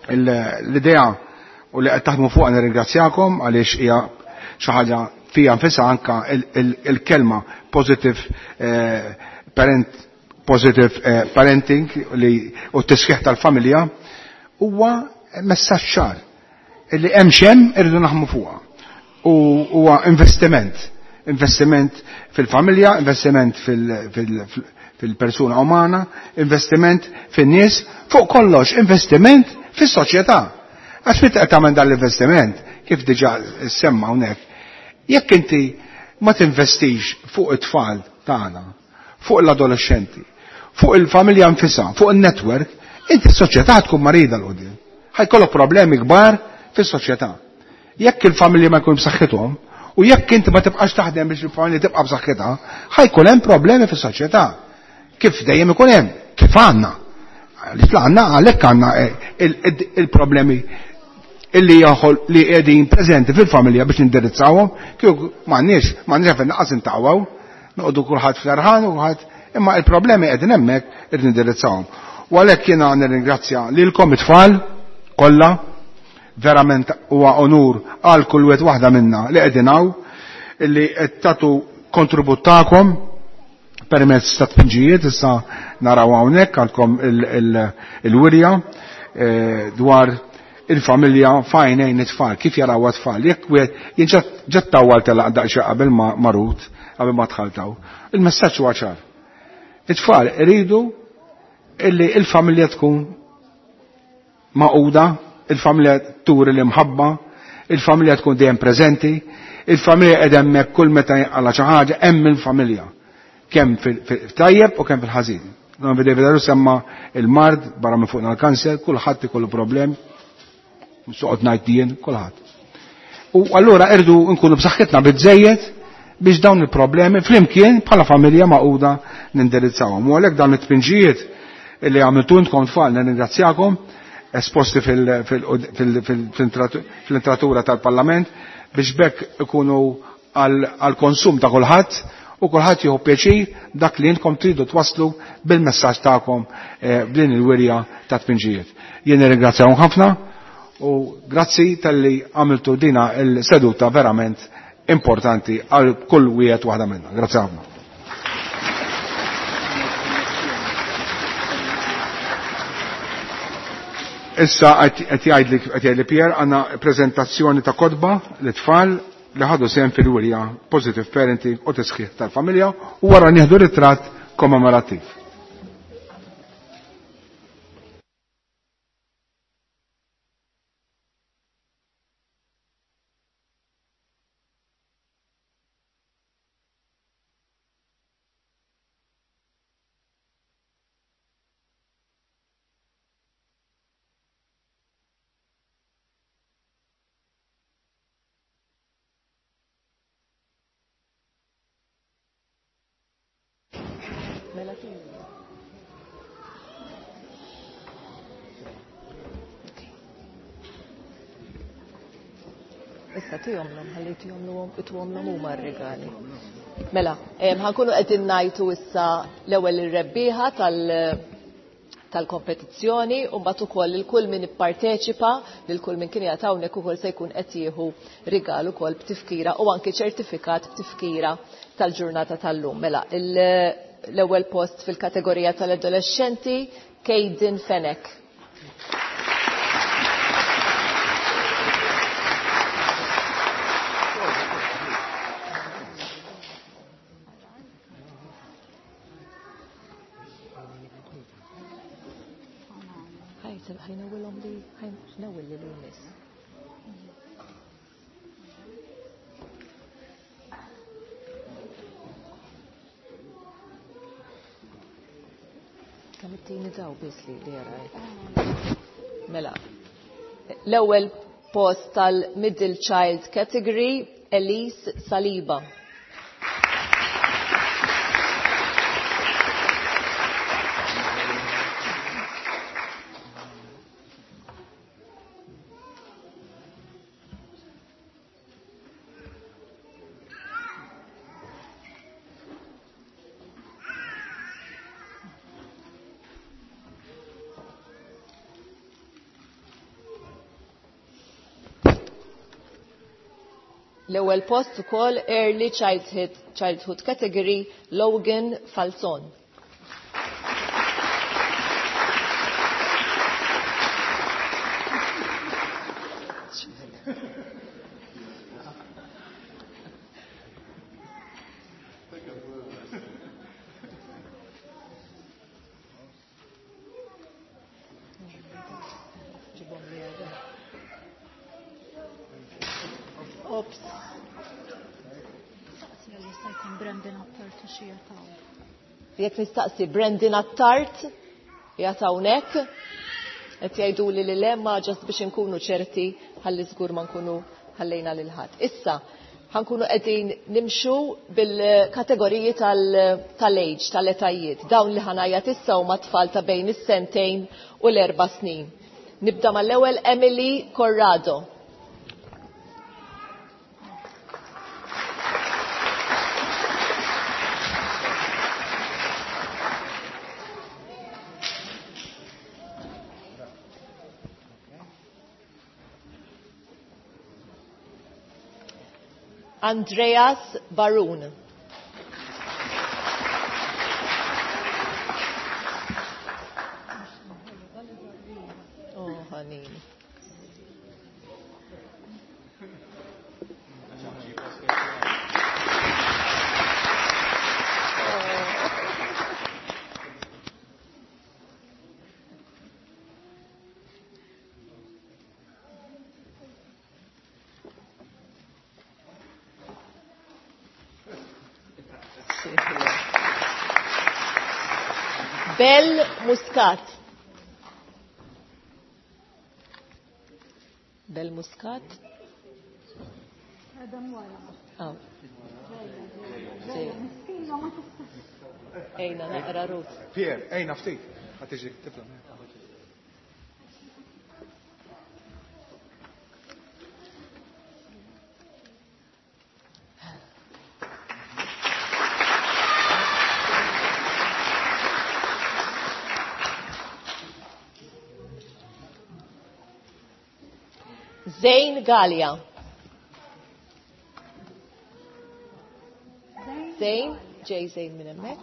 l-idea u li qed taħdmu fuqha nirringrazzjakom għaliex hija xi ħaġa fija nfisha anka il-kelma positive parent, positive parenting li u t-tisħiħ tal-familja huwa messaġġ ċar illi hemm xemm irridu naħmu fuqha. U huwa investiment, investiment fil-familja, investiment fil-persuna umana, investiment fin-nies, fuq kollox investiment fis-soċjetà. Għax meta qed tagħmel dan l-investiment, kif diġà semma hawnhekk, jekk inti ma tinvestix fuq it-tfal tagħna, fuq l-adolescenti, fuq il-familja nfisha, fuq il-network, inti s-soċjetà tkun marida l-qudiem. Ħajkollok problemi kbar fis-soċjetà. Jekk il-familji ma jkun b'saħħithom, u jekk inti ma tibqax taħdem biex il-familja tibqa' b'saħħitha, ħajkun hemm problemi fis-soċjetà. Kif dejjem ikun hemm, kif għandna. Għaliex għandna għalhekk għandna il-problemi illi jaħol li qegħdin preżenti fil-familja biex nindirizzawhom, kieku m'għandniex fejn naqas intaqgħu, noqogħdu kulħadd fl-arħan u kulħadd, imma il-problemi qegħdin hemmhekk irid nindirizzawhom. U għalhekk jiena nirringrazzja lilkom it-tfal kollha, verament huwa onur għal kull wieħed waħda minna li qegħdin hawn, illi qed tagħtu kontribut tagħkom permezz ta' tpinġijiet, issa naraw hawnhekk għandkom il-wirja dwar il-familja fajnejn it-tfal, kif jaraw it-tfal. Jekk wieħed jien ġa tawwal telaq daqsxejn qabel ma marut, qabel ma dħaltaw. Il-messaġġ huwa ċar. It-tfal iridu illi il-familja tkun maquda, il-familja turi l-imħabba, il-familja tkun dejjem preżenti, il-familja qed hemmhekk kull meta jinqala xi ħaġa hemm il-familja. Kemm fil-tajjeb u kemm fil-ħażin. Non vede vedaru semma il-mard barra minn fuqna l-kanser, kulħadd ikollu problem, soqgħod ngħid jien, kulħadd. U allura irdu nkunu b'saħħitna biżejjed biex dawn il-problemi flimkien bħala familja maquda nindirizzawhom. U għalhekk dawn it-tpinġijiet li għamiltu intkom tfal nirringrazzjakom esposti fil-intratura tal-Parlament biex bekk ikunu għal-konsum ta' kulħadd u kulħadd jieħu pjaċir dak li intkom tridu twaslu bil-messaġġ tagħkom b'din il-wirja ta' tpinġijiet. Jien nirringrazzjahom ħafna u grazzi talli għamiltu dina il-seduta verament importanti għal kull wieħed waħda minna. Grazzi ħafna. Issa qed jgħidli Pierre għandna preżentazzjoni ta' kotba li tfal li ħadu sehem fil-wirja Positive Parenting u tisħiħ tal-familja u wara nieħdu ritratt kommemorattiv. Issa tihomlhom, ħalli tihomlhom ituhomlhom huma r-rigali. Mela, ħankunu qegħdin ngħidu issa l-ewwel ir-rebbieħa tal-kompetizzjoni u mbagħad ukoll lil kull min ipparteċipa, lil kull min kien qiegħed hawnhekk ukoll se jkun qed jieħu rigal ukoll b'tifkira u anke ċertifikat b'tifkira tal-ġurnata tal-lum. Mela, l-ewwel post fil-kategorija tal-adolescenti, Kejden Fenech. Mela, l-ewwel post tal-Middle Child Category, Elise Saliba. L-ewwel post ukoll Early Childhood Category Logan Falzon. Jekk nistaqsi Brandon Attart, qiegħed hawnhekk, qed jgħiduli li le ma ġast biex inkunu ċerti ħalli żgur ma nkunu ħallejna lil ħadd. Issa ħankunu qegħdin nimxu bil-kategoriji tal-age, tal-etajiet. Dawn li ħanajat issa huma tfal ta' bejn is-sentejn u l-4 snin. Nibda mal-ewwel Emily Corrado. Andreas Barun. Oh, honey. Bell Muscat. Bell Muscat. Oh. Ejna, naqra Ruth. Pier, ejna ftit. Ħatiġi, tifla. Zain Gallia. Zain, J. Zain minn hemmhekk.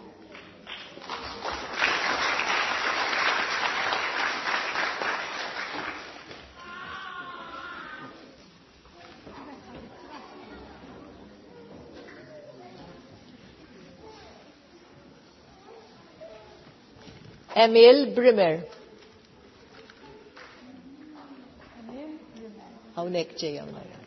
Emil Brimmer. Hawnhekk ġejja Marja.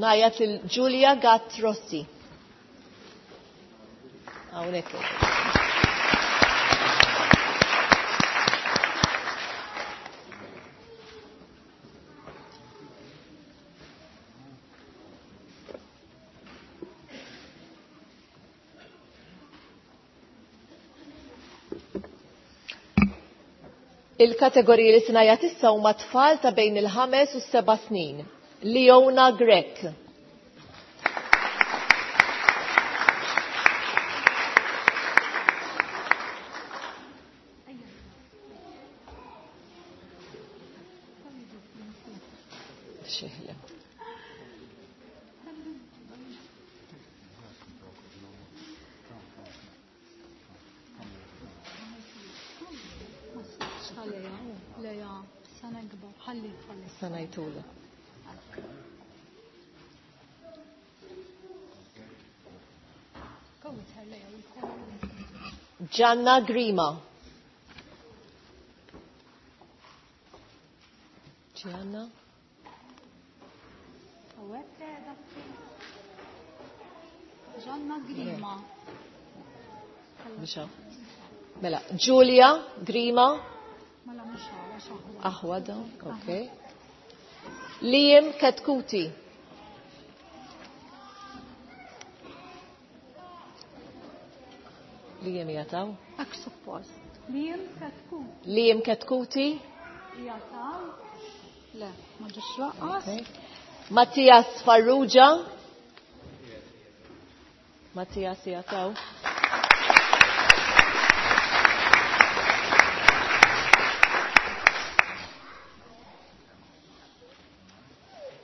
Najat lil Giulia Gatt Rossi. Hawnhekk. Il-kategoriji li sinajat issa huma tfal ta' bejn il-5 u s-7 snin. Leona Grek. Xeħle. Sena jtula. Gianna Grima. Gianna. Gianna Grima. Mxa. Mela, Giulia Grima. Mela mhux għax aħwa. Aħwa dawn, okay. Liam Katkuti. Liam jataw. Hekk suppost. Liam Katkuti. Liam Katkuti. Jataw. Le, ma ġiex laqqas. Okay. Mattias Farrugia. Mattias jataw.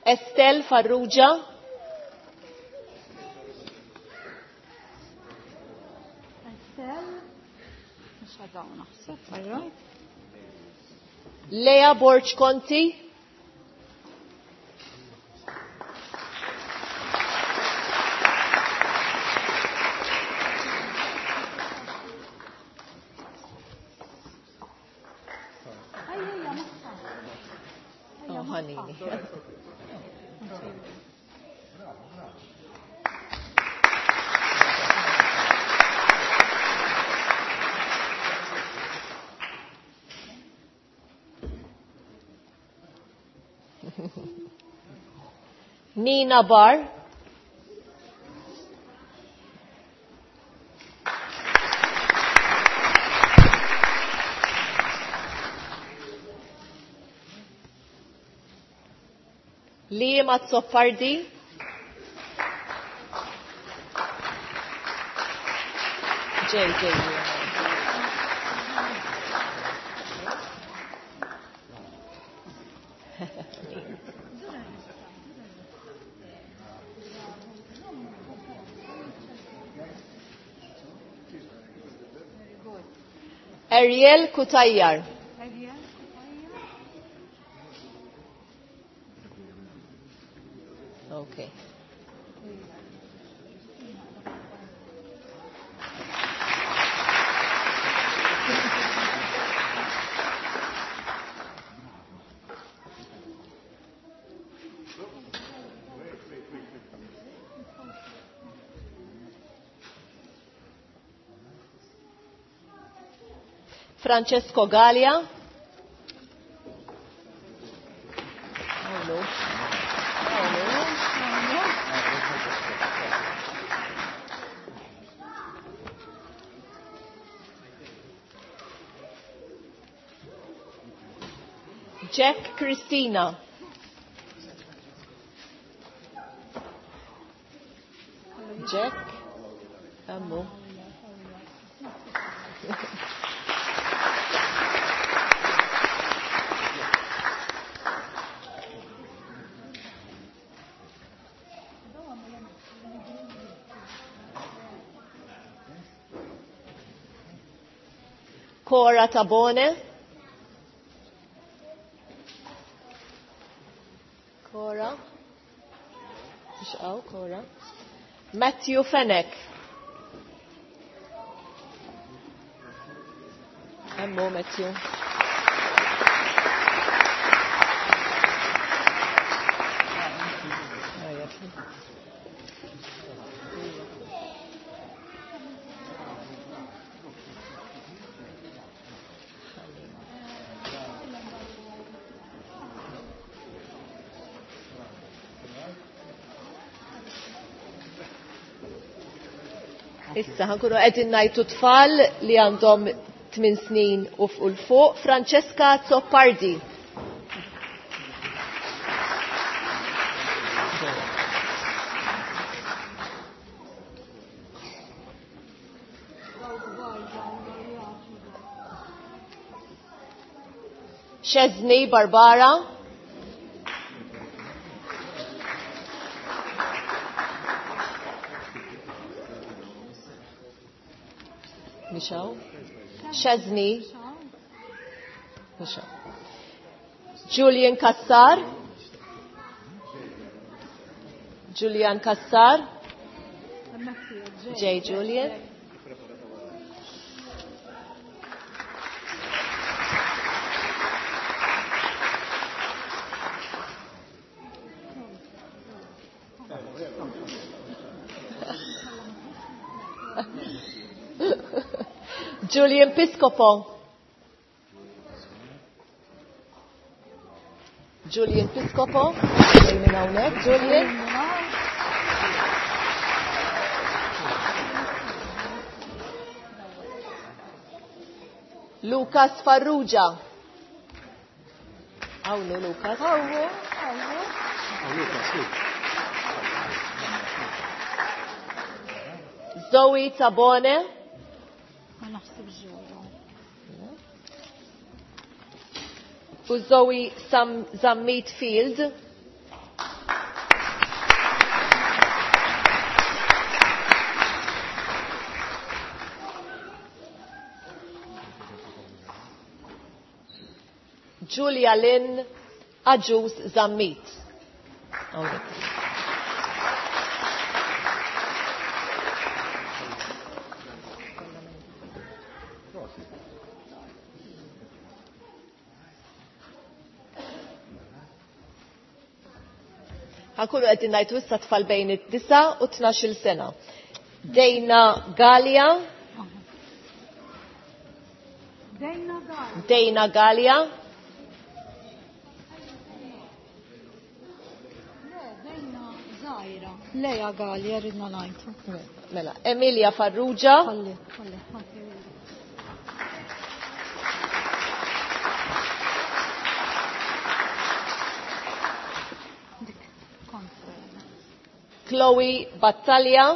Estelle Farrugia. Estelle. Mhux għadaw naħseb, all right. Lea Borg Conti. Ejja, magħha. Oh, ħanini. Nina Barr. Liam Azzopardi. J, J, Liam. Ariel Kutayar. Ariel Kutayar. Okay. Francesco Gallia. Hello. Jack Christina. Jack. Ammo. Cora Tabone. Cora. Ixqaw, Cora. Matthew Fenech. Emmu, Matthew. Issa ħankunu qegħdin ngħidu tfal li għandhom 8 snin u fuq fuq. Francesca Zoppardi. Chesney Barbara. Michelle. Chesney. Michelle. Julian Kassar. Julian Kassar. J. Julian. Julian Piscopo. Julian Piscopo. Minn hawnhekk, Julian. Lucas Farrugia. Hawnhu Lucas. Hawnhu, hawnhu. Zoe Tabone. Ma naħsibx ġewwa. U Zoe Sam Zammit Field. Julia Lynn Aġus Zammit. Hawnhekk. Ħankunu qegħdin ngħidu issa tfal bejn it-9 u 12-il sena. Dejna Gallia. Dejna Gallia. Dejna Gallia. Le, Dejna Zaira. Leja Gallia ridna ngħidu. Mela, Emilia Farrugia. Ħalli, ħalli, ħalli. Dik, kont. Chloe Battaglia.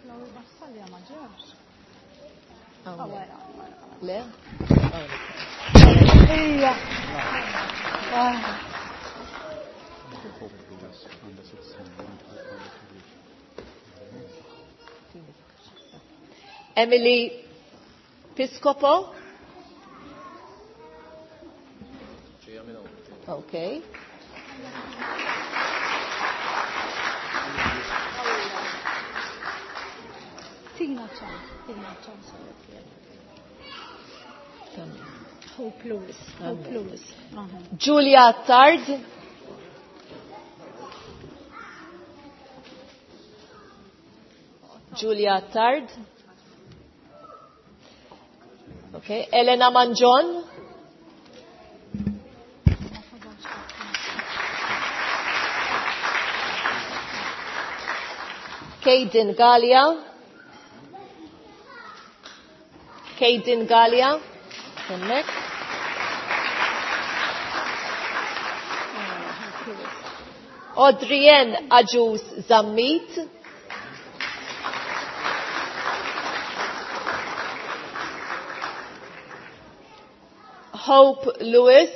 Chloe Battaglia ma ġewx. Hawnhekk. Wara, wara. Le? Ija. Ah. Emily Piscopo. Okay. Tina ċans, tina ċans. Hope Lewis, Hope Lewis. Aha. Julia Tard. Julia Tard. Okay, Elena Mangion. Kaden Gallia. Kaden Gallia. Hemmhekk. Audrienne Agius Zammit. Hope Lewis.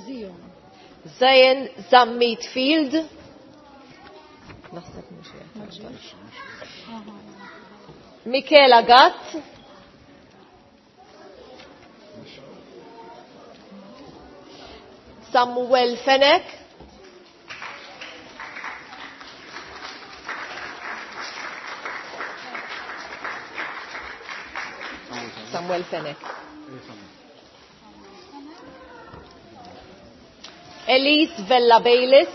Zion. Zayn Zammit Field. Naħseb mhux qiegħed. Michela Gatt. Samuel Fenech. Samuel Fenech. Elise Vella Baylis.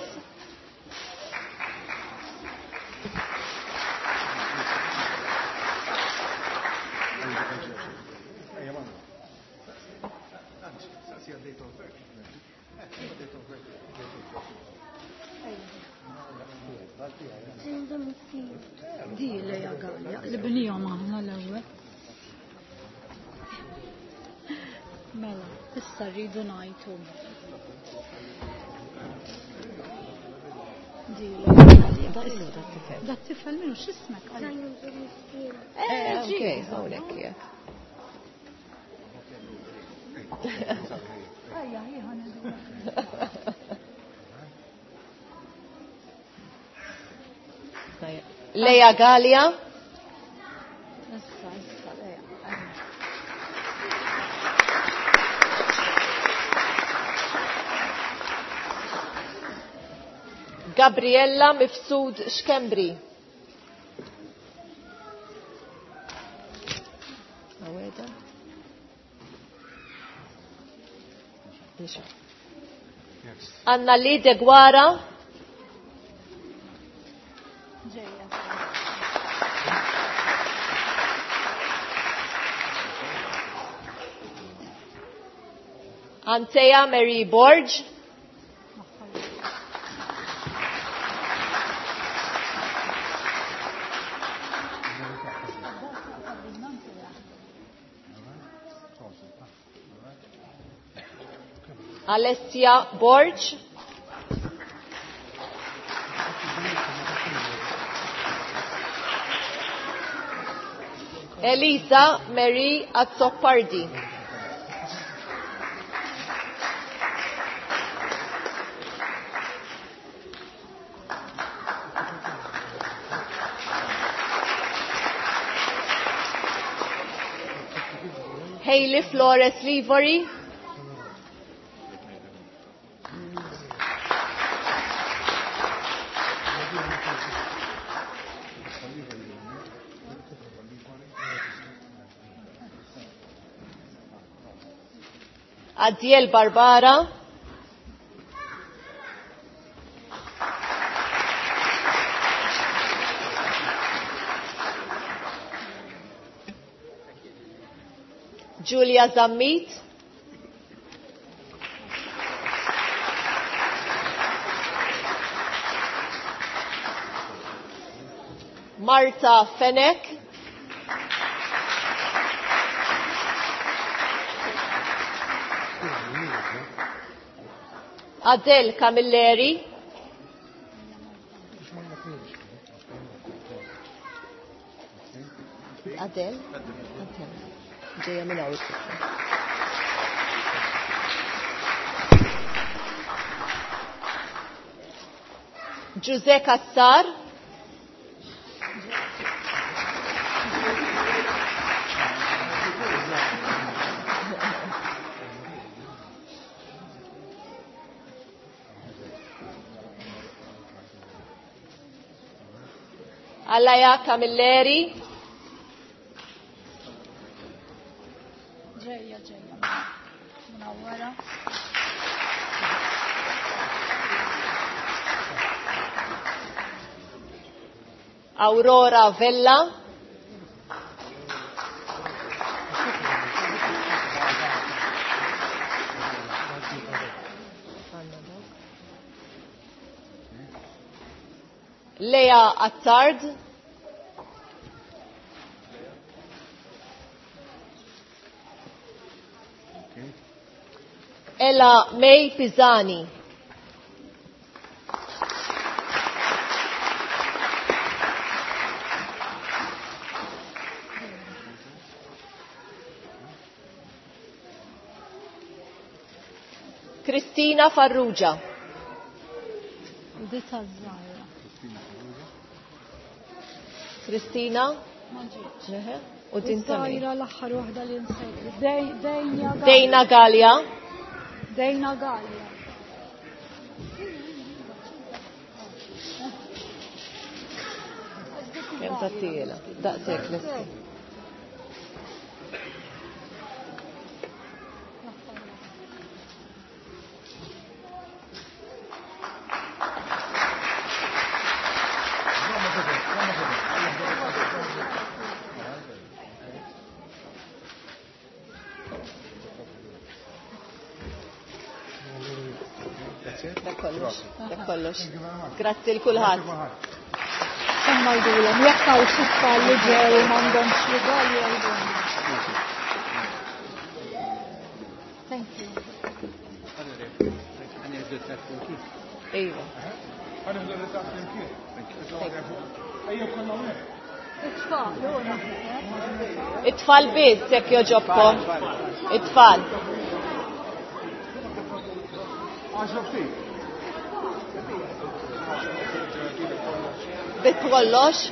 Di Leja Gallia, li bnijom aħna l-ewwel. Mela, issa rridu ngħidu. Di Leja Gallia. Da t-tifel minnu x'ismek? Okay, hawnhekk qiegħed. Ejja, ħi Leja Gallia. Issa, issa, Leja. Gabriella Mifsud Xkembri. Aweda. Anna Lee De Guara. Ġejja. Antea Mary Borg. Alessia Borg. Elisa Marie Azzopardi. Hailey Flores Livory. Adiel Barbara. Julia Zammit. Marta Fenech. Adele Camilleri. Adele? Adele. Ġeja minn hawn it-tifla. Giuseppe Cassar. Allaja Camilleri. Ġejja, ġejja. Munawwara. Aurora Vella. Lea Attard. Ella May Pisani. Cristina Farrugia. Dita żgħira. Kristina? Ma ġietx. Eħe. U din ta' min? Żgħira l-aħħar waħda li nsejt. Dejna Gallia. Dejna Gallia. Dejna Gallia. Kemm tattiela? Daqshekk lesti. Dak kollox. Dak kollox. Grazzi l kulħadd. Kemm ngħidulhom jekk hawn xi tfal li ġew u m'għandhomx rigali jgħidulhom. Thank you. Iva. It-tfal, ora. It-tfal biss jekk joġobkom. It-tfal. Bit kollox.